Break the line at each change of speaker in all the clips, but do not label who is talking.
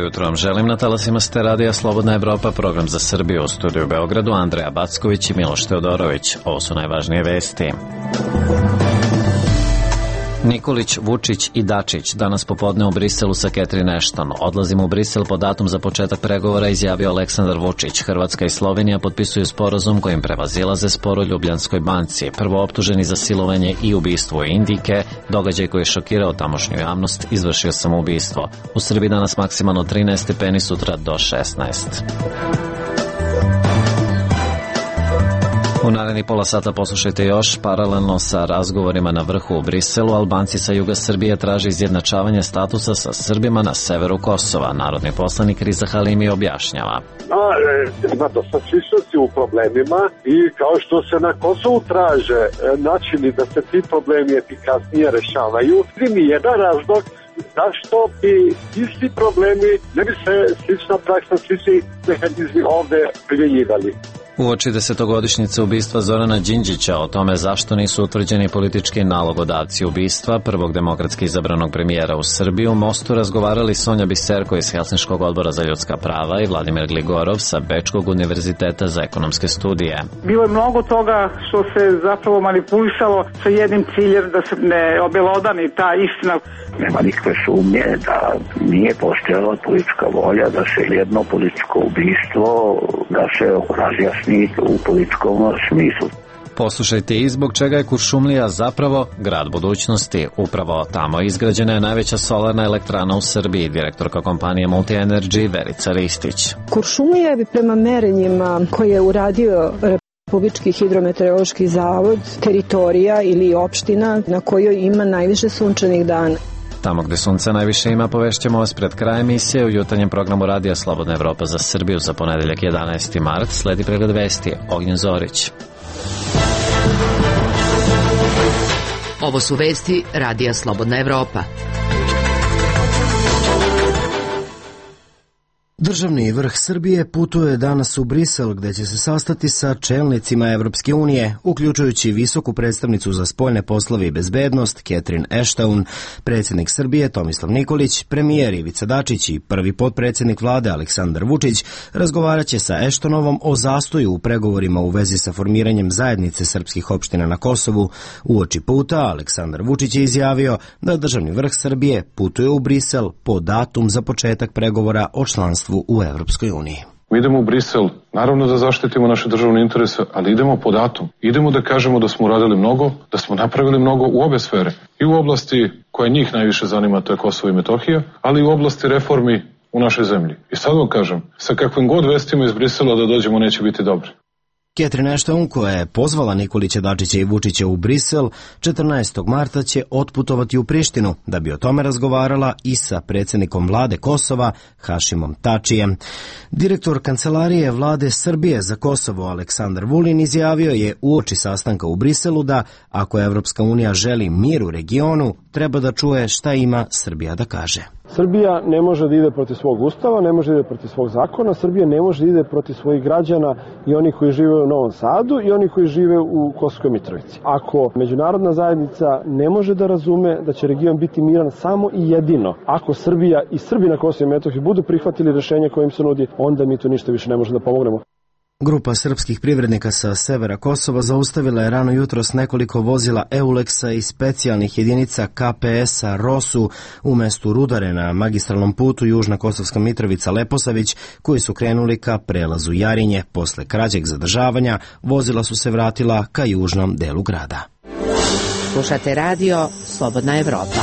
jutro vam želim na talasima ste radija Slobodna Evropa, program za Srbiju, u studiju u Beogradu Andreja Backović i Miloš Teodorović. Ovo su najvažnije vesti. Nikolić, Vučić i Dačić danas popodne u Briselu sa Catherine Ashton. Odlazimo u Brisel po datum za početak pregovora, izjavio Aleksandar Vučić. Hrvatska i Slovenija potpisuju sporazum kojim prevazilaze spor o Ljubljanskoj banci. Prvo optuženi za silovanje i ubistvo Indijke, događaj koji je šokirao tamošnju javnost, izvršio samoubistvo. U Srbiji danas maksimalno 13 stepeni, sutra do 16. U narednih pola sata poslušajte još. Paralelno sa razgovorima na vrhu u Briselu, Albanci sa juga Srbije traže izjednačavanje statusa sa Srbima na severu Kosova. Narodni poslanik Riza Halimi objašnjava.
Ima dosta sličnosti u problemima i kao što se na Kosovu traže načini da se ti problemi efikasnije rešavaju, ni jedan razlog zašto bi isti problemi, ne bi se slična praksa, slični mehanizmi ovde primjenjivali.
Uoči 10-godišnjice ubistva Zorana Đinđića, o tome zašto nisu utvrđeni politički nalogodavci ubistva prvog demokratski izabranog premijera u Srbiju, u Mostu razgovarali Sonja Biserko iz Helsinškog odbora za ljudska prava i Vladimir Gligorov sa Bečkog univerziteta za ekonomske studije.
Bilo je mnogo toga što se zapravo manipulisalo sa jednim ciljem da se ne obelodani ta istina.
Nema nikakve sumnje da nije postojala politička volja da se jedno političko ubistvo, da se razjasni u političkom smislu.
Poslušajte i zbog čega je Kuršumlija zapravo grad budućnosti. Upravo tamo izgrađena je najveća solarna elektrana u Srbiji, direktorka kompanije Multi Energy Verica Ristić.
Kuršumlija bi prema merenjima koje je uradio Republički hidrometeorološki zavod teritorija ili opština na kojoj ima najviše sunčanih dana.
Tamo gde sunca najviše ima, povešćemo vas pred krajem emisije u jutarnjem programu radija Slobodna Evropa za Srbiju za ponedeljak 11. mart. Sledi pregled vesti. Ognjen Zorić.
Ovo su vesti radija Slobodna Evropa.
Državni vrh Srbije putuje danas u Brisel, gde će se sastati sa čelnicima Evropske unije, uključujući visoku predstavnicu za spoljne poslove i bezbednost Catherine Ashton, predsjednik Srbije Tomislav Nikolić, premijer Ivica Dačić i prvi potpredsjednik vlade Aleksandar Vučić razgovaraće sa Ashtonovom o zastoju u pregovorima u vezi sa formiranjem zajednice srpskih opština na Kosovu. Uoči puta Aleksandar Vučić je izjavio da državni vrh Srbije putuje u Brisel po datum za početak pregovora o članstvu u Evropskoj uniji.
Mi idemo u Brisel, naravno da zaštitimo naše državne interese, ali idemo po datum. Idemo da kažemo da smo uradili mnogo, da smo napravili mnogo u obe sfere. I u oblasti koja njih najviše zanima, to je Kosovo i Metohija, ali i u oblasti reformi u našoj zemlji. I sad vam kažem, sa kakvim god vestima iz Brisela da dođemo neće biti dobri.
Catherine Ashton, koja je pozvala Nikolića, Dačića i Vučića u Brisel, 14. marta će otputovati u Prištinu da bi o tome razgovarala i sa predsjednikom vlade Kosova, Hašimom Tačijem. Direktor Kancelarije vlade Srbije za Kosovo, Aleksandar Vulin, izjavio je uoči sastanka u Briselu da ako Evropska unija želi mir u regionu, treba da čuje šta ima Srbija da kaže.
Srbija ne može da ide protiv svog ustava, ne može da ide protiv svog zakona, Srbija ne može da ide protiv svojih građana i onih koji žive u Novom Sadu i onih koji žive u Kosovskoj Mitrovici. Ako međunarodna zajednica ne može da razume da će region biti miran samo i jedino ako Srbija i Srbi na Kosovu i Metohiji budu prihvatili rješenje koje im se nudi, onda mi tu ništa više ne možemo da pomognemo.
Grupa srpskih privrednika sa severa Kosova zaustavila je rano jutros nekoliko vozila Euleksa i specijalnih jedinica KPS-a Rosu u mestu Rudare na magistralnom putu Južna Kosovska Mitrovica-Leposavić, koji su krenuli ka prelazu Jarinje. Posle kraćeg zadržavanja vozila su se vratila ka južnom delu grada.
Slušate radio Slobodna Evropa.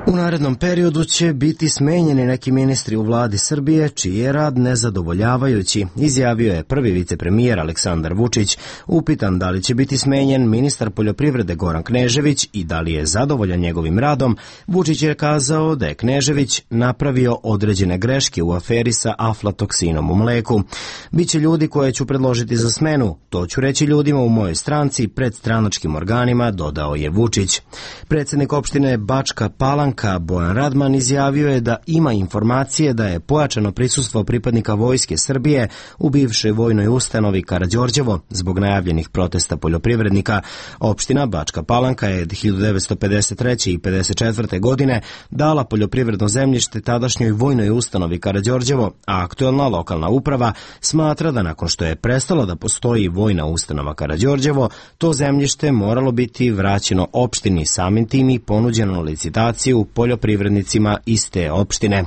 U narednom periodu će biti smenjeni neki ministri u vladi Srbije, čiji je rad nezadovoljavajući, izjavio je prvi vicepremijer Aleksandar Vučić. Upitan da li će biti smenjen ministar poljoprivrede Goran Knežević i da li je zadovoljan njegovim radom, Vučić je kazao da je Knežević napravio određene greške u aferi sa aflatoksinom u mleku. Biće ljudi koje ću predložiti za smenu, to ću reći ljudima u mojoj stranci pred stranačkim organima, dodao je Vučić. Predsjednik opštine Bačka Palanka Palanka Bojan Radman izjavio je da ima informacije da je pojačano prisustvo pripadnika Vojske Srbije u bivšoj vojnoj ustanovi Karađorđevo zbog najavljenih protesta poljoprivrednika. Opština Bačka Palanka je 1953. i 54. godine dala poljoprivredno zemljište tadašnjoj vojnoj ustanovi Karađorđevo, a aktuelna lokalna uprava smatra da nakon što je prestala da postoji vojna ustanova Karađorđevo, to zemljište moralo biti vraćeno opštini, samim tim i ponuđeno na licitaciju poljoprivrednicima iz te opštine.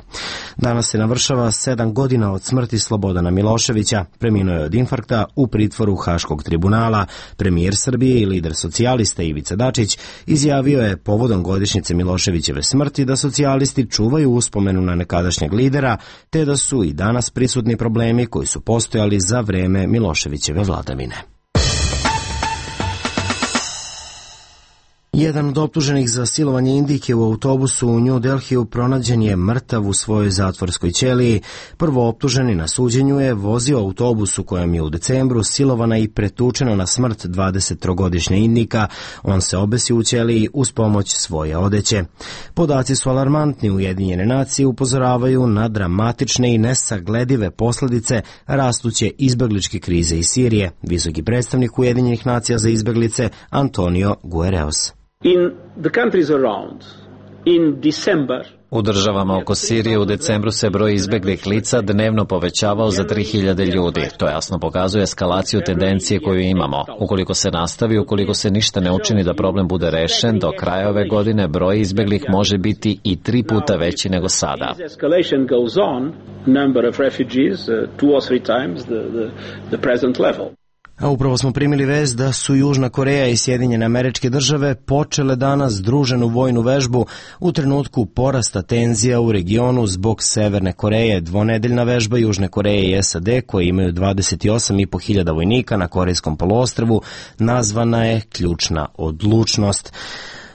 Danas se navršava 7 godina od smrti Slobodana Miloševića. Preminuo je od infarkta u pritvoru Haškog tribunala. Premijer Srbije i lider socijalista Ivica Dačić izjavio je povodom godišnjice Miloševićeve smrti da socijalisti čuvaju uspomenu na nekadašnjeg lidera, te da su i danas prisutni problemi koji su postojali za vreme Miloševićeve vladavine. Jedan od optuženih za silovanje Indijke u autobusu u New Delhiju pronađen je mrtav u svojoj zatvorskoj ćeliji. Prvo optuženi na suđenju je vozio autobus u kojem je u decembru silovana i pretučena na smrt 23-godišnja Indijka. On se obesio u ćeliji uz pomoć svoje odeće. Podaci su alarmantni. Ujedinjene nacije upozoravaju na dramatične i nesagledive posledice rastuće izbegličke krize iz Sirije. Visoki predstavnik Ujedinjenih nacija za izbeglice Antonio Guterres.
U državama oko Sirije u decembru se broj izbeglih lica dnevno povećavao za 3000 ljudi. To jasno pokazuje eskalaciju tendencije koju imamo. Ukoliko se nastavi, ukoliko se ništa ne učini da problem bude rešen, do kraja ove godine broj izbeglih može biti i 3 puta veći nego sada.
A upravo smo primili vest da su Južna Koreja i Sjedinjene Američke Države počele danas združenu vojnu vežbu u trenutku porasta tenzija u regionu zbog Severne Koreje. Dvonedeljna vežba Južne Koreje i SAD, koje imaju 28.500 vojnika na Korejskom poluostrvu, nazvana je Ključna odlučnost.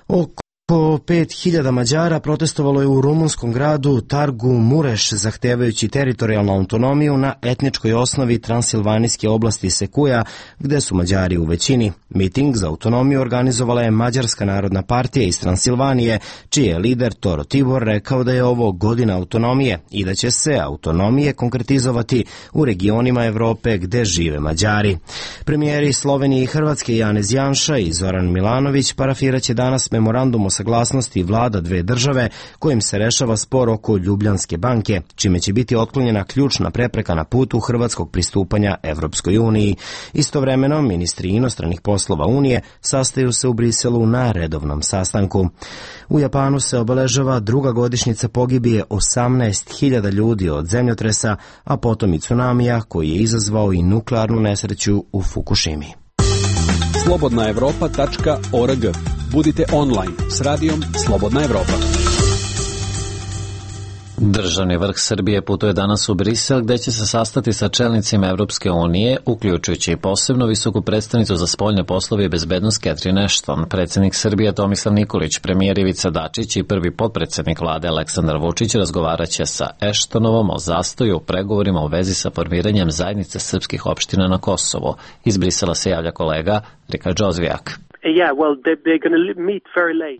Oko 5000 Mađara protestovalo je u rumunskom gradu Targu Mureš, zahtevajući teritorijalnu autonomiju na etničkoj osnovi transilvanijske oblasti Sekuja, gde su Mađari u većini. Miting za autonomiju organizovala je Mađarska narodna partija iz Transilvanije, čiji je lider Toro Tibor rekao da je ovo godina autonomije i da će se autonomije konkretizovati u regionima Evrope gde žive Mađari. Premijeri Slovenije i Hrvatske Janez Janša i Zoran Milanović parafiraće danas memorandum o saglasnosti vlada dve države kojim se rešava spor oko Ljubljanske banke, čime će biti otklonjena ključna prepreka na putu hrvatskog pristupanja Evropskoj uniji. Istovremeno, ministri inostranih poslova Unije sastaju se u Briselu na redovnom sastanku. U Japanu se obeležava druga godišnjica pogibije 18.000 ljudi od zemljotresa, a potom i tsunamija koji je izazvao i nuklearnu nesreću u Fukushimi.
slobodnaevropa.org. Budite online s radijom Slobodna Evropa.
Državni vrh Srbije putuje danas u Brisel, gde će se sastati sa čelnicima Evropske unije, uključujući i posebno visoku predstavnicu za spoljne poslove i bezbednost Catherine Ashton. Predsjednik Srbije Tomislav Nikolić, premijer Ivica Dačić i prvi potpredsjednik vlade Aleksandar Vučić razgovaraće sa Ashtonovom o zastoju u pregovorima u vezi sa formiranjem zajednice srpskih opština na Kosovu. Iz Brisela se javlja kolega Rika Džozvijak.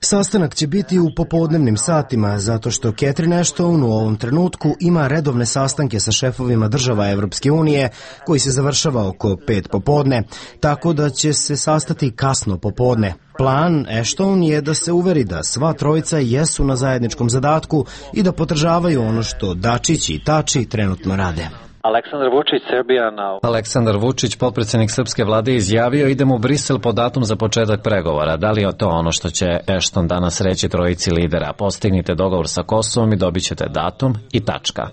Sastanak će biti u popodnevnim satima, zato što Catherine Ashton u ovom trenutku ima redovne sastanke sa šefovima država Evropske unije, koji se završava oko 5 popodne, tako da će se sastati kasno popodne. Plan Ashton je da se uveri da sva trojica jesu na zajedničkom zadatku i da podržavaju ono što Dačić i Tači trenutno rade.
Aleksandar Vučić, potpredsjednik srpske vlade, izjavio idemo u Brisel po datum za početak pregovora. Da li je to ono što će Ashton danas reći trojici lidera? Postignite dogovor sa Kosovom i dobit ćete datum i tačka.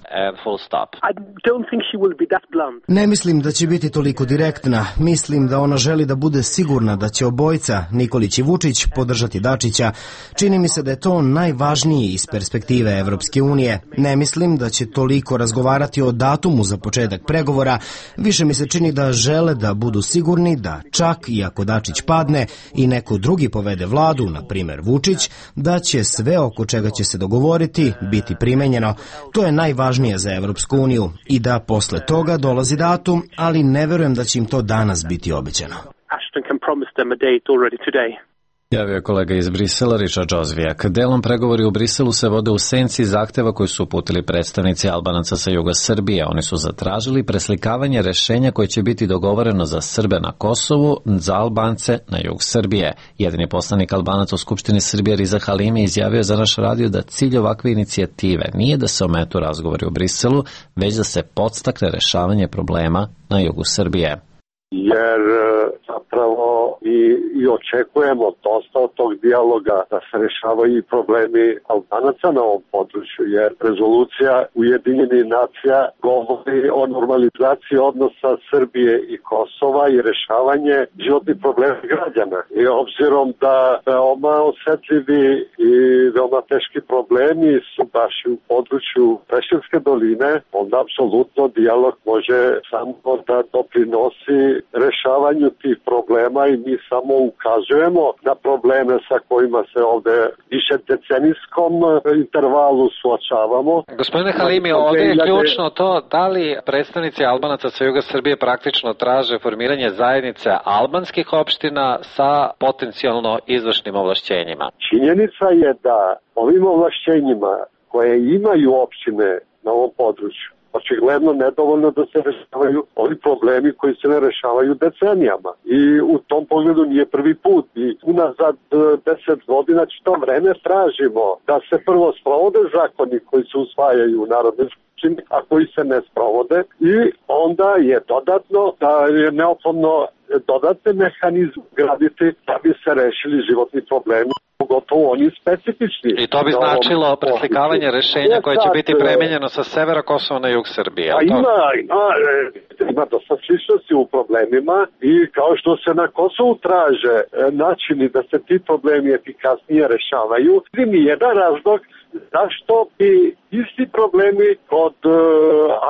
Ne mislim da će biti toliko direktna. Mislim da ona želi da bude sigurna da će obojica, Nikolić i Vučić, podržati Dačića. Čini mi se da je to najvažniji iz perspektive Evropske unije. Ne mislim da će toliko razgovarati o datumu za početak pregovora, više mi se čini da žele da budu sigurni da čak i ako Dačić padne i neko drugi povede vladu, na primjer Vučić, da će sve oko čega će se dogovoriti biti primenjeno. To je najvažnije za Evropsku uniju i da posle toga dolazi datum, ali ne verujem da će im to danas biti obećano.
Javio je kolega iz Brisela, Richard Jozvijak. Delom pregovori u Briselu se vode u senci zahteva koji su uputili predstavnici Albanaca sa juga Srbije. Oni su zatražili preslikavanje rešenja koje će biti dogovoreno za Srbe na Kosovu, za Albance na jug Srbije. Jedini poslanik Albanaca u Skupštini Srbije, Riza Halimi, izjavio za naš radio da cilj ovakve inicijative nije da se ometu razgovori u Briselu, već da se podstakne rešavanje problema na jugu Srbije.
Jer zapravo i očekujemo dosta od tog dijaloga da se rešavaju i problemi Albanaca na ovom području, jer rezolucija Ujedinjenih nacija govori o normalizaciji odnosa Srbije i Kosova i rešavanje životnih problema građana. I obzirom da veoma osetljivi i veoma teški problemi su baš u području Preševske doline, onda apsolutno dijalog može samo da doprinosi rešavanju tih problema i mi samo ukazujemo na probleme sa kojima se ovde više decenijskom intervalu suočavamo.
Gospodine Halimi, ovde je ključno to da li predstavnici Albanaca sa juga Srbije praktično traže formiranje zajednice albanskih opština sa potencijalno izvršnim ovlašćenjima.
Činjenica je da ovim ovlašćenjima koje imaju opštine na ovom području očigledno nedovoljno da se rešavaju ovi problemi koji se ne rešavaju decenijama. I u tom pogledu nije prvi put. I unazad 10 godina čito vreme tražimo da se prvo sprovode zakoni koji se usvajaju u Narodnoj skupštini, a koji se ne sprovode. I onda je dodatno da je neophodno dodatne mehanizme graditi da bi se rešili životni problemi, pogotovo oni specifični.
I to bi značilo preslikavanje rešenja koje će biti premenjeno sa severa Kosova na jug Srbije.
Ima dosta sličnosti u problemima i kao što se na Kosovu traže načini da se ti problemi efikasnije rešavaju, mi je jedan razlog zašto bi isti problemi kod,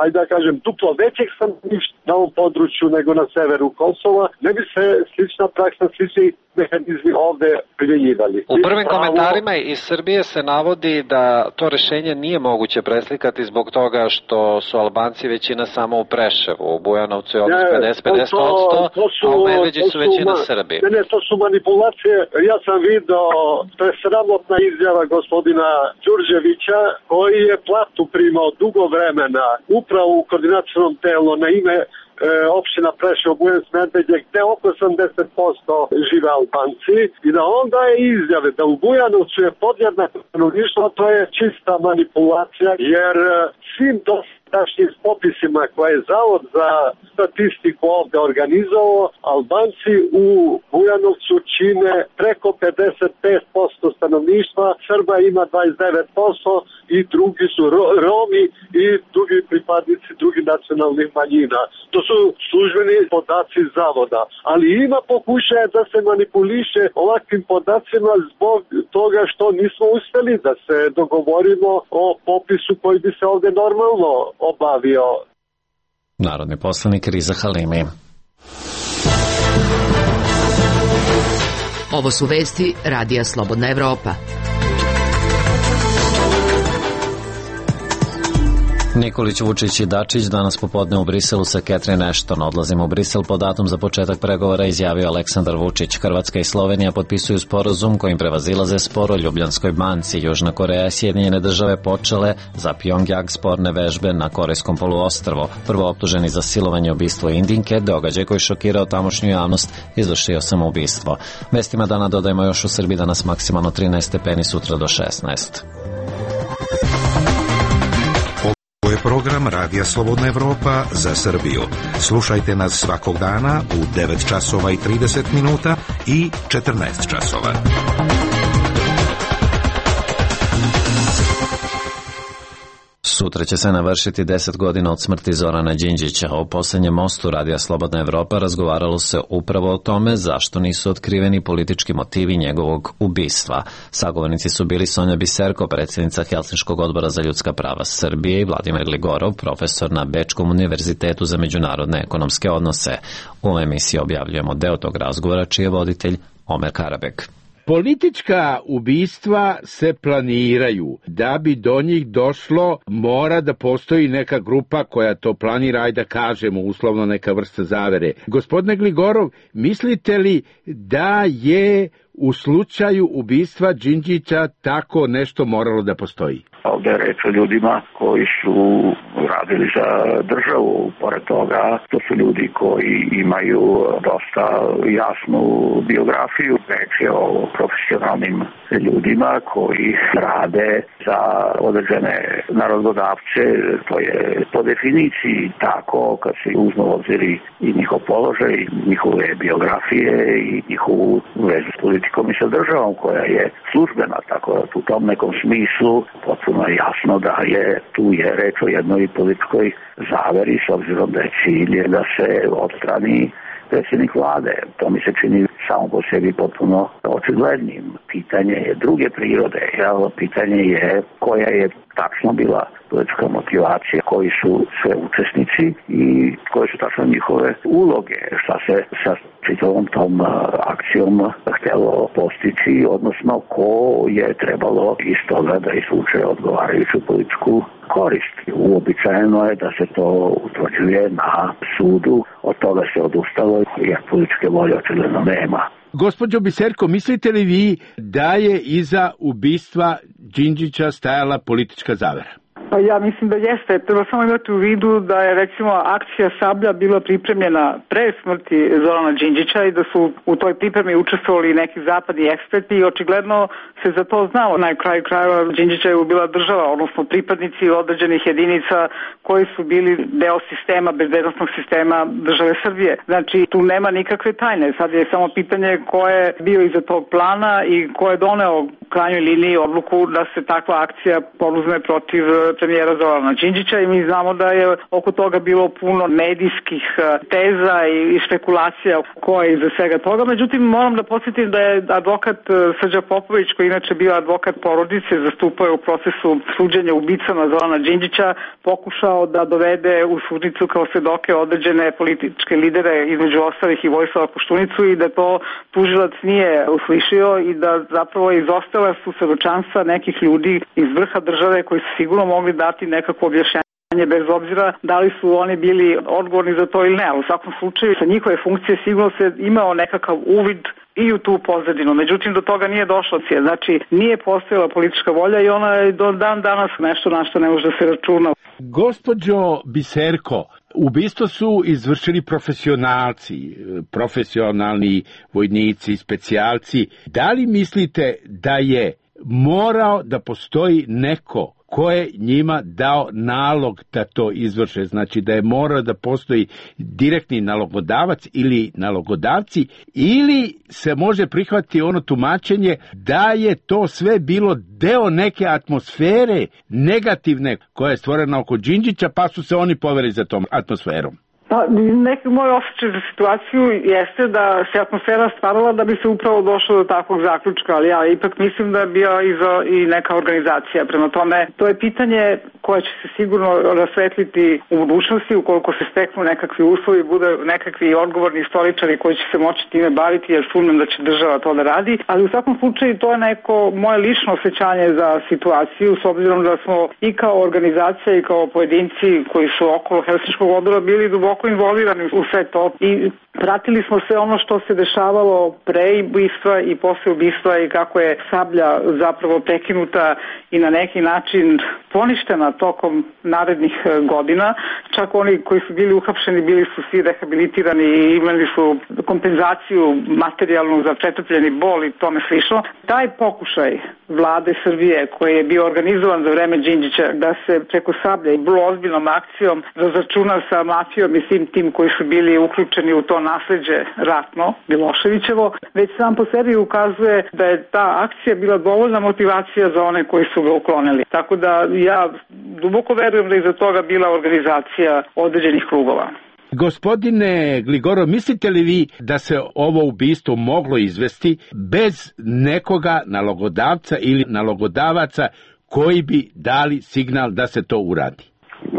ajde da kažem, duplo većeg stanovništva na ovom području nego na severu Kosova, ne bi se slična praksa, slični mehanizmi ovde primjenjivali.
U prvim komentarima iz Srbije se navodi da to rešenje nije moguće preslikati zbog toga što su Albanci većina samo u Preševu, u Bujanovcu je odnos 50%, a u Medveđi su većina Srbi.
Ne, to su manipulacije. Ja sam video, to je sramotna izjava gospodina Đurđevića, koji je platu primao dugo vremena upravo u koordinacionom telu na ime opština Preševo, Bujanovac, Medveđe, gde oko 80% žive Albanci i da onda je izjave da u Bujanovcu je podjednako stanovništvo, to je čista manipulacija, jer svim dosadašnjim popisima koje je Zavod za statistiku ovde organizovao, Albanci u Bujanovcu čine preko 55% stanovništva, Srba ima 29% i drugi su Romi i drugi pripadnici drugih nacionalnih manjina. To su službeni podaci Zavoda, ali ima pokušaja da se manipuliše ovakvim podacima zbog toga što nismo uspeli da se dogovorimo o popisu koji bi se ovde normalno obavio.
Narodni poslanik Riza Halimi.
Ovo su vesti Radija Slobodna Evropa.
Nikolić, Vučić i Dačić danas popodne u Briselu sa Catherine Ashton. Odlazimo u Brisel po datum za početak pregovora, izjavio Aleksandar Vučić. Hrvatska i Slovenija potpisuju sporazum kojim prevazilaze spor o Ljubljanskoj banci. Južna Koreja i Sjedinjene države počele za Pjongjang sporne vežbe na Korejskom poluostrvu. Prvo optuženi za silovanje i ubistvo Indinke, događaj koji šokirao tamošnju javnost, izvršio samoubistvo. Vestima dana dodajemo još u Srbiji danas maksimalno 13 stepeni, sutra do 16.
Ovo je program Radija Slobodna Evropa za Srbiju. Slušajte nas svakog dana u 9 časova i 30 minuta i 14 časova.
Sutra će se navršiti 10 godina od smrti Zorana Đinđića. O posljednjem mostu Radija Slobodna Evropa razgovaralo se upravo o tome zašto nisu otkriveni politički motivi njegovog ubistva. Sagovornici su bili Sonja Biserko, predsjednica Helsinškog odbora za ljudska prava Srbije, i Vladimir Ligorov, profesor na Bečkom univerzitetu za međunarodne ekonomske odnose. U emisiji objavljujemo deo tog razgovora čiji je voditelj Omer Karabek.
Politička ubistva se planiraju. Da bi do njih došlo, mora da postoji neka grupa koja to planira, ajde da kažemo, uslovno neka vrsta zavere. Gospodine Gligorov, mislite li da je u slučaju ubistva Đinđića tako nešto moralo da postoji?
Ovde je reč o ljudima koji su radili za državu. Pored toga, to su ljudi koji imaju dosta jasnu biografiju. Reč je o profesionalnim ljudima koji rade za određene narododavce. To je po definiciji tako kad se uzme u obziri i njihov položaj, njihove biografije i njihovu vezu s politikom i sa državom koja je službena. Tako da u tom nekom smislu potpuno je jasno da je tu reč o jednoj političkoj zaveri s obzirom da je cilj da se odstrani predsjednik vlade. To mi se čini samo po sebi potpuno očiglednim. Pitanje je druge prirode. Pitanje je koja je tačno bila politička motivacija, koji su sve učesnici i koje su tačno njihove uloge, šta se sa čitavom tom akcijom htjelo postići, odnosno ko je trebalo iz toga da izvuče odgovarajuću političku korist. Uobičajeno je da se to utvrđuje na sudu, od toga se odustalo jer političke volje očigledno nema.
Gospođo Biserko, mislite li vi da je iza ubistva Đinđića stajala politička zavera?
Pa ja mislim da jeste. Treba samo imati u vidu da je recimo akcija Sablja bila pripremljena pre smrti Zorana Đinđića i da su u toj pripremi učestvovali neki zapadni eksperti i očigledno se za to znalo. Na kraju krajeva Đinđića je bila država, odnosno pripadnici određenih jedinica koji su bili deo sistema, bezbednosnog sistema države Srbije. Znači tu nema nikakve tajne. Sad je samo pitanje ko je bio iza tog plana i ko je doneo u krajnjoj liniji odluku da se takva akcija poduzme protiv premijera Zorana Đinđića i mi znamo da je oko toga bilo puno medijskih teza i špekulacija ko je iza svega toga. Međutim, moram da podsjetim da je advokat Srđa Popović, koji inače bio advokat porodice, zastupao je u procesu suđenja ubicama Zorana Đinđića, pokušao da dovede u sudnicu kao svedoke određene političke lidere, između ostalih i Vojislava Koštunicu, i da to tužilac nije uslišio i da zapravo izostala su svedočanstva nekih ljudi iz vrha države koji su sigurno mogli dati nekako objašnjanje bez obzira da li su oni bili odgovorni za to ili ne. U svakom slučaju sa njihove funkcije sigurno se imao nekakav uvid i u tu pozadinu. Međutim, do toga nije došlo. Znači, nije postojala politička volja i ona je do dan danas nešto na što ne može da se računa.
Gospođo Biserko, ubistvo su izvršili profesionalci, profesionalni vojnici, specijalci. Da li mislite da je morao da postoji neko ko je njima dao nalog da to izvrše, znači da je morao da postoji direktni nalogodavac ili nalogodavci, ili se može prihvatiti ono tumačenje da je to sve bilo deo neke atmosfere negativne koja je stvorena oko Đinđića, pa su se oni poveli za tom atmosferom?
Pa, neki moj osjećaj za situaciju jeste da se atmosfera stvarala da bi se upravo došlo do takvog zaključka, ali ja ipak mislim da je bio i neka organizacija. Prema tome, to je pitanje koje će se sigurno rasvetliti u budućnosti ukoliko se steknu nekakvi uslovi, bude nekakvi odgovorni istoričari koji će se moći time baviti, jer sumnjam da će država to da radi. Ali u svakom slučaju to je neko moje lično osjećanje za situaciju, s obzirom da smo i kao organizacija i kao pojedinci koji su okolo Helsinškog odbora bili duboko involvirani u sve to i pratili smo sve ono što se dešavalo pre ubistva i posle ubistva i kako je Sablja zapravo prekinuta i na neki način poništena tokom narednih godina. Čak oni koji su bili uhapšeni bili su svi rehabilitirani i imali su kompenzaciju materijalnu za pretrpljeni bol i tome slično. Taj pokušaj vlade Srbije koji je bio organizovan za vreme Đinđića da se preko Sablje i vrlo ozbiljnom akcijom razračuna sa mafijom i svim tim koji su bili uključeni u to nasleđe ratno, Miloševićevo, već sam po sebi ukazuje da je ta akcija bila dovoljna motivacija za one koji su ga uklonili. Tako da ja duboko verujem da je iza toga bila organizacija određenih krugova.
Gospodine Gligorov, mislite li vi da se ovo ubistvo moglo izvesti bez nekoga nalogodavca ili nalogodavaca koji bi dali signal da se to uradi?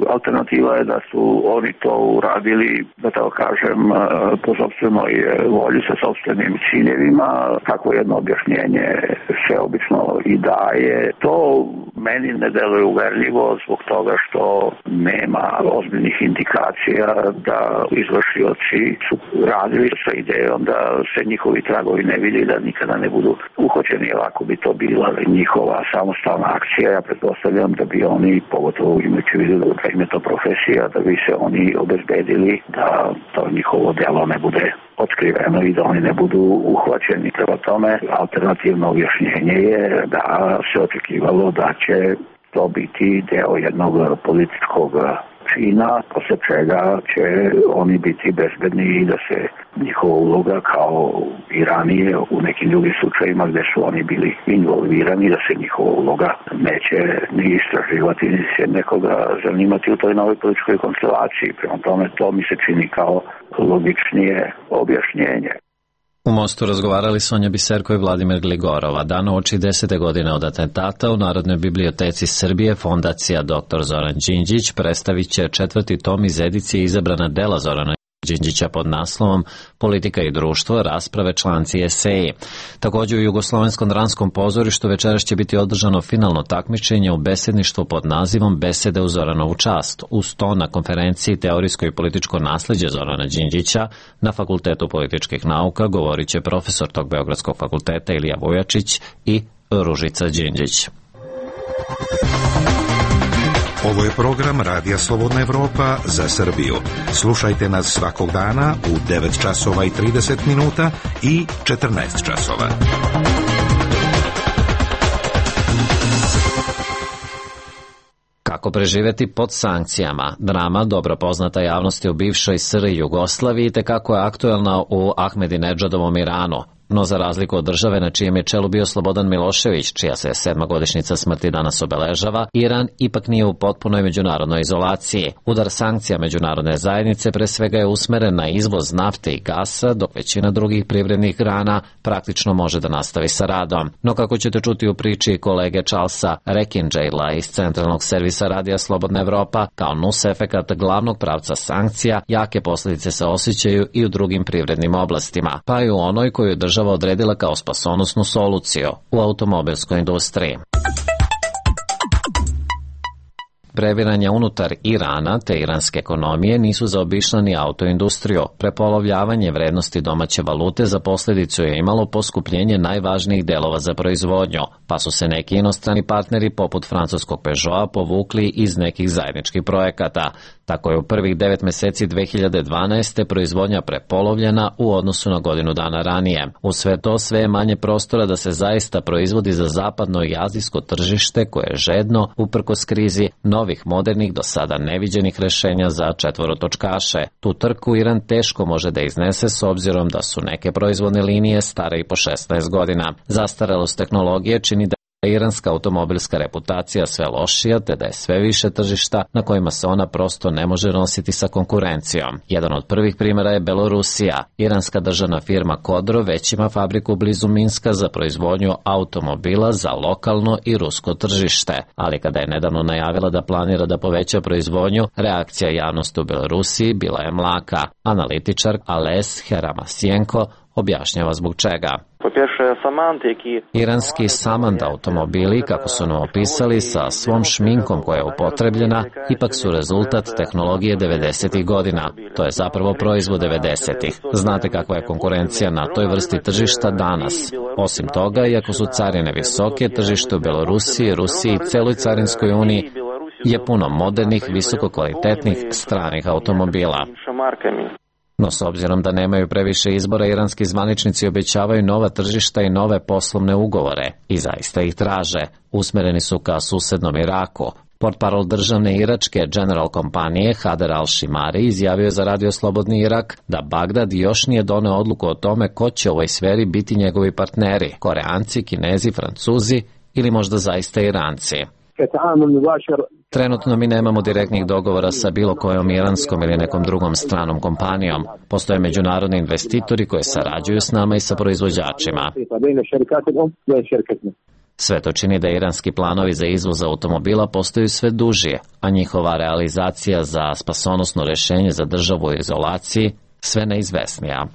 Alternativa je da su oni to uradili, da tako kažem, po sopstvenoj volji, sa sopstvenim ciljevima. Kako jedno objašnjenje se obično i daje. To meni ne deluje uverljivo zbog toga što nema ozbiljnih indikacija da izvršioci su radili sa idejom da se njihovi tragovi ne vidi, da nikada ne budu uhoćeni. Ako bi to bila njihova samostalna akcija, ja pretpostavljam da bi oni, pogotovo imajući vidu da im je to profesija, da bi se oni obezbedili da to njihovo delo ne bude otkriveno i da oni ne budu uhvaćeni. Prema tome, alternativno objašnjenje je da se očekivalo da će to biti deo jednog političkog čina, posle čega će oni biti bezbedni i da se njihova uloga kao i ranije u nekim drugim slučajima gde su oni bili involvirani, da se njihova uloga neće ni istraživati, ni se nekoga zanimati u toj novoj političkoj konstelaciji. Prema tome, to mi se čini kao logičnije objašnjenje.
U Mostu razgovarali Sonja Biserko i Vladimir Gligorova. Dan uoči 10. godine od atentata u Narodnoj biblioteci Srbije Fondacija dr. Zoran Đinđić predstavit će 4. tom iz edicije izabrana dela Zorana Đinđića pod naslovom Politika i društvo, rasprave, članci i eseji. Također u Jugoslovenskom dramskom pozorištu večeras će biti održano finalno takmičenje u besedništvu pod nazivom Besede u Zoranovu čast. Uz to na konferenciji Teorijsko i političko nasleđe Zorana Đinđića na Fakultetu političkih nauka govorit će profesor tog Beogradskog fakulteta Ilija Vujačić i Ružica Đinđić.
Ovo je program Radija Slobodna Evropa za Srbiju. Slušajte nas svakog dana u 9 časova i 30 minuta i 14 časova.
Kako preživeti pod sankcijama? Drama, dobro poznata javnosti u bivšoj SR Jugoslaviji, te kako je aktuelna u Ahmedinedžadovom Iranu. No za razliku od države na čijem je čelu bio Slobodan Milošević, čija se 7. godišnjica smrti danas obeležava, Iran ipak nije u potpunoj međunarodnoj izolaciji. Udar sankcija međunarodne zajednice pre svega je usmeren na izvoz nafte i gasa, dok većina drugih privrednih grana praktično može da nastavi sa radom. No kako ćete čuti u priči kolege Charlesa Rekinđejla iz Centralnog servisa Radija Slobodna Evropa, kao nus efekat glavnog pravca sankcija, jake posljedice se osjećaju i u drugim privrednim oblastima, pa i u onoj koju država odredila kao spasonosnu soluciju u automobilskoj industriji. Previranja unutar Irana te iranske ekonomije nisu zaobišle ni autoindustriju. Prepolovljavanje vrednosti domaće valute za posljedicu je imalo poskupljenje najvažnijih delova za proizvodnju, pa su se neki inostrani partneri poput francuskog Peugeota povukli iz nekih zajedničkih projekata. Tako je u prvih 9 meseci 2012. proizvodnja prepolovljena u odnosu na godinu dana ranije. Uz sve to sve je manje prostora da se zaista proizvodi za zapadno i azijsko tržište koje je žedno, uprkos krizi, novih modernih do sada neviđenih rešenja za četvorotočkaše. Tu trku Iran teško može da iznese s obzirom da su neke proizvodne linije stare i po 16 godina. Zastarelost tehnologije čini da iranska automobilska reputacija sve lošija, te da je sve više tržišta na kojima se ona prosto ne može nositi sa konkurencijom. Jedan od prvih primjera je Belorusija. Iranska državna firma Kodro već ima fabriku blizu Minska za proizvodnju automobila za lokalno i rusko tržište, ali kada je nedavno najavila da planira da poveća proizvodnju, reakcija javnosti u Belorusiji bila je mlaka. Analitičar Ales Heramasjenko objašnjava zbog čega. Iranski Samand automobili, kako su nam opisali, sa svom šminkom koja je upotrebljena, ipak su rezultat tehnologije 90. godina. To je zapravo proizvod 90. Znate kakva je konkurencija na toj vrsti tržišta danas. Osim toga, iako su carine visoke, tržište u Belorusiji, Rusiji i celoj carinskoj uniji je puno modernih, visokokvalitetnih stranih automobila. No s obzirom da nemaju previše izbora, iranski zvaničnici obećavaju nova tržišta i nove poslovne ugovore i zaista ih traže. Usmereni su ka susednom Iraku. Portparol državne iračke General kompanije Hader al-Shimari izjavio za Radio Slobodni Irak da Bagdad još nije doneo odluku o tome ko će u ovoj sferi biti njegovi partneri, Koreanci, Kinezi, Francuzi ili možda zaista Iranci. Trenutno mi nemamo direktnih dogovora sa bilo kojom iranskom ili nekom drugom stranom kompanijom. Postoje međunarodni investitori koji sarađuju s nama i sa proizvođačima. Sve to čini da iranski planovi za izvoz automobila postaju sve dužije, a njihova realizacija za spasonosno rešenje za državu u izolaciji sve neizvesnija.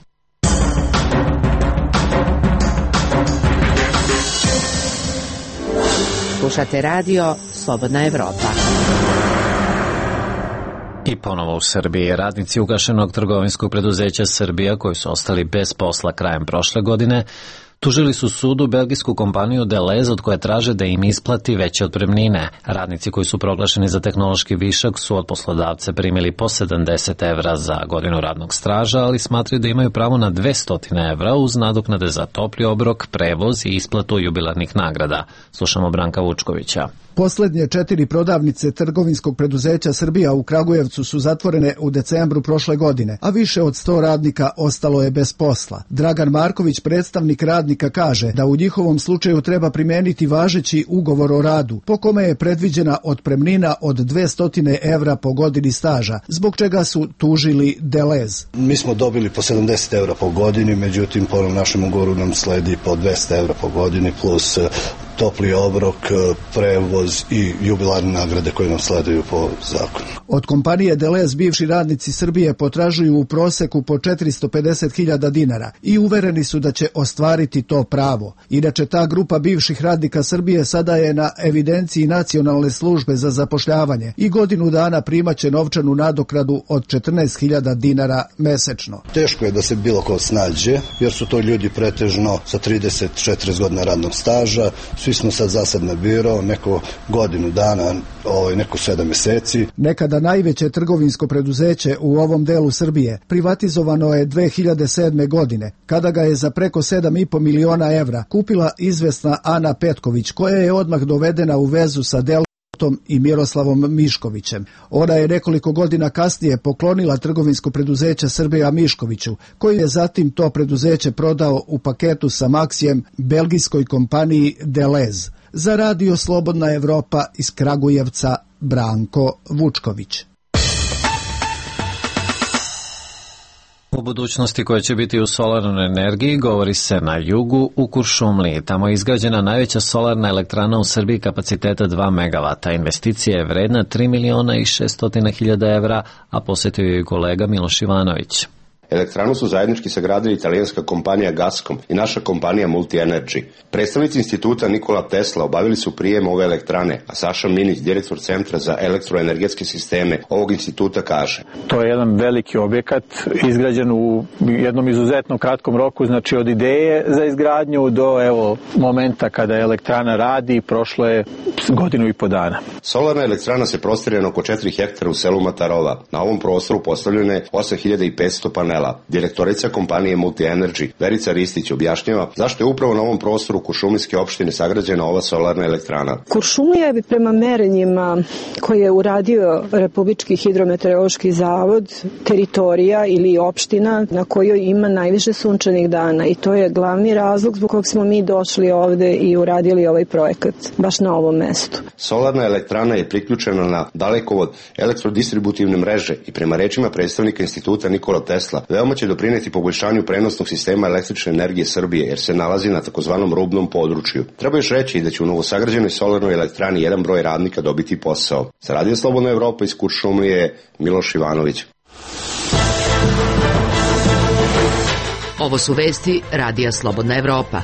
Slušate radio Slobodna Evropa.
I ponovo u Srbiji radnici ugašenog trgovinskog preduzeća Srbija koji su ostali bez posla krajem prošle godine tužili su sudu belgijsku kompaniju Deleuze od koje traže da im isplati veće otpremnine. Radnici koji su proglašeni za tehnološki višak su od poslodavca primili po 70 evra za godinu radnog staža, ali smatraju da imaju pravo na 200 evra uz nadoknade za topli obrok, prevoz i isplatu jubilarnih nagrada. Slušamo Branka Vučkovića.
Poslednje 4 prodavnice trgovinskog preduzeća Srbija u Kragujevcu su zatvorene u decembru prošle godine, a više od 100 radnika ostalo je bez posla. Dragan Marković, predstavnik radnika, kaže da u njihovom slučaju treba primeniti važeći ugovor o radu, po kome je predviđena otpremnina od 200 evra po godini staža, zbog čega su tužili Deleuze.
Mi smo dobili po 70 evra po godini, međutim po našem ugovoru nam sledi po 200 evra po godini plus topli obrok, prevoz i jubilarne nagrade koje nam sleduju po zakonu.
Od kompanije Deleuze bivši radnici Srbije potražuju u proseku po 450.000 dinara i uvereni su da će ostvariti to pravo. Inače, ta grupa bivših radnika Srbije sada je na evidenciji Nacionalne službe za zapošljavanje i godinu dana primaće novčanu nadoknadu od 14.000 dinara mesečno.
Teško je da se bilo ko snađe, jer su to ljudi pretežno sa 30-40 godina radnog staža. Svi smo sad zasad na biro, neko godinu dana, neko 7 meseci.
Nekada najveće trgovinsko preduzeće u ovom delu Srbije privatizovano je 2007. godine, kada ga je za preko 7,5 miliona evra kupila izvesna Ana Petković, koja je odmah dovedena u vezu sa Deltom i Miroslavom Miškovićem. Ona je nekoliko godina kasnije poklonila trgovinsko preduzeće Srbija Miškoviću, koji je zatim to preduzeće prodao u paketu sa Maksijem belgijskoj kompaniji Deleuze. Za radio Slobodna Evropa iz Kragujevca, Branko Vučković.
U budućnosti koja će biti u solarnoj energiji govori se na jugu u Kuršumliji. Tamo je izgrađena najveća solarna elektrana u Srbiji kapaciteta 2 MW. Investicija je vredna 3.600.000 evra, a posjetio je kolega Miloš Ivanović.
Elektranu su zajednički sagradili italijanska kompanija Gascom i naša kompanija Multi-Energy. Predstavnici instituta Nikola Tesla obavili su prijem ove elektrane, a Saša Minić, direktor Centra za elektroenergetske sisteme ovog instituta, kaže:
To je jedan veliki objekat izgrađen u jednom izuzetno kratkom roku, znači od ideje za izgradnju do momenta kada elektrana radi prošlo je 1,5 godinu dana.
Solarna elektrana se prostire na oko 4 hektara u selu Matarova. Na ovom prostoru postavljeno je 8500 panela. Direktorica kompanije Multi-Energy, Verica Ristić, objašnjava zašto je upravo na ovom prostoru Kuršumlijske opštine sagrađena ova solarna elektrana.
Kuršumlija je prema merenjima koje je uradio Republički hidrometeorološki zavod teritorija ili opština na kojoj ima najviše sunčanih dana i to je glavni razlog zbog kog smo mi došli ovde i uradili ovaj projekat baš na ovom mestu.
Solarna elektrana je priključena na dalekovod elektrodistributivne mreže i prema rečima predstavnika instituta Nikola Tesla veoma će doprineti poboljšanju prenosnog sistema električne energije Srbije, jer se nalazi na takozvanom rubnom području. Treba još reći da će u novosagrađenoj solarnoj elektrani jedan broj radnika dobiti posao. Sa Radio Slobodna Evropa iz Kuršumlije, Miloš Ivanović.
Ovo su vesti Radija Slobodna Evropa.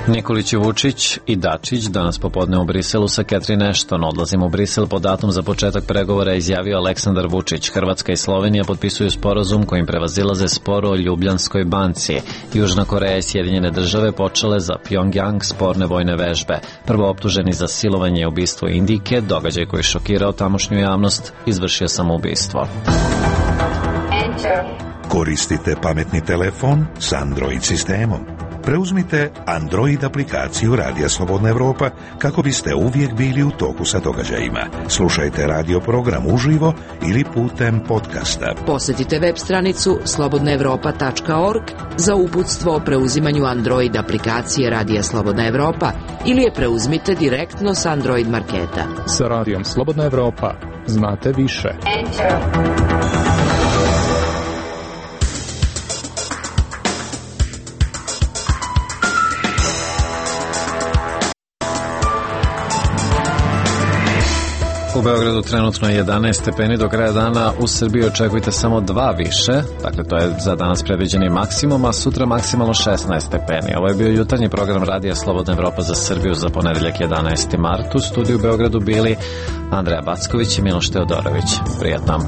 Nikolić, Vučić i Dačić danas popodne u Briselu sa Catherine Ashton. Odlazimo u Brisel po datum za početak pregovora, izjavio Aleksandar Vučić. Hrvatska i Slovenija potpisuju sporazum kojim prevazilaze spor o Ljubljanskoj banci. Južna Koreja i Sjedinjene države počele za Pjongjang sporne vojne vežbe. Prvo optuženi za silovanje i ubistvo Indijke, događaj koji je šokirao tamošnju javnost, izvršio samoubistvo.
Koristite pametni telefon s Android sistemom. Preuzmite Android aplikaciju Radija Slobodna Evropa kako biste uvijek bili u toku sa događajima. Slušajte radio program uživo ili putem podcasta.
Posjetite web stranicu slobodnaevropa.org za uputstvo o preuzimanju Android aplikacije Radija Slobodna Evropa ili je preuzmite direktno s Android marketa.
Sa Radijom Slobodna Evropa znate više.
Beogradu trenutno 11 stepeni, do kraja dana u Srbiji očekujte samo 2 više, dakle to je za danas predviđeni maksimum, a sutra maksimalno 16 stepeni. Ovo je bio jutarnji program Radija Slobodna Evropa za Srbiju za ponedeljak 11. mart. U studiju u Beogradu bili Andreja Backović i Miloš Teodorović. Prijatno.